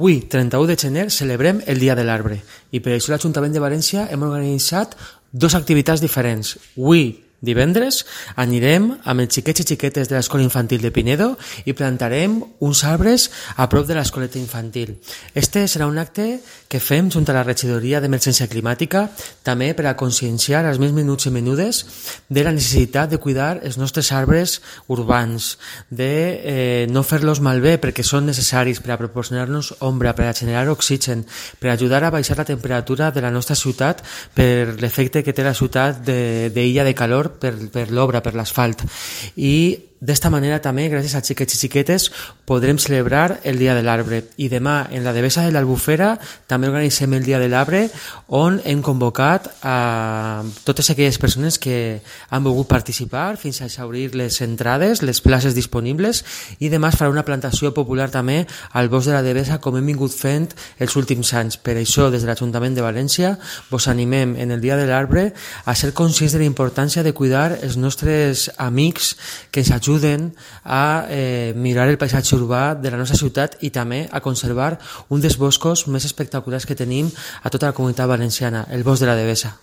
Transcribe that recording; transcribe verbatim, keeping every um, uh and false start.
Avui, trenta-u de gener, celebrem el Dia de l'Arbre i per això l'Ajuntament de València hem organitzat dues activitats diferents. Avui, divendres, anirem amb els xiquets i xiquetes de l'Escola Infantil de Pinedo i plantarem uns arbres a prop de l'escoleta infantil. Este serà un acte que fem junt a la Regidoria d'Emergència Climàtica, també per a conscienciar els més menuts i menudes de la necessitat de cuidar els nostres arbres urbans, de eh, no fer-los malbé perquè són necessaris per a proporcionar-nos ombra, per a generar oxigen, per a ajudar a baixar la temperatura de la nostra ciutat per l'efecte que té la ciutat d'illa de calor per, per l'obra, per l'asfalt. I d'esta manera també, gràcies a xiquets i xiquetes, podrem celebrar el Dia de l'Arbre. I demà, en la Devesa de l'Albufera, també organitzem el Dia de l'Arbre, on hem convocat a totes aquelles persones que han volgut participar fins a exhaurir les entrades, les places disponibles, i demà es farà una plantació popular també al bosc de la Devesa, com hem vingut fent els últims anys. Per això, des de l'Ajuntament de València, vos animem en el Dia de l'Arbre a ser conscients de la importància de cuidar els nostres amics que ens ajuden a eh, mirar el paisatge urbà de la nostra ciutat i també a conservar un dels boscos més espectaculars que tenim a tota la comunitat valenciana, el bosc de la Devesa.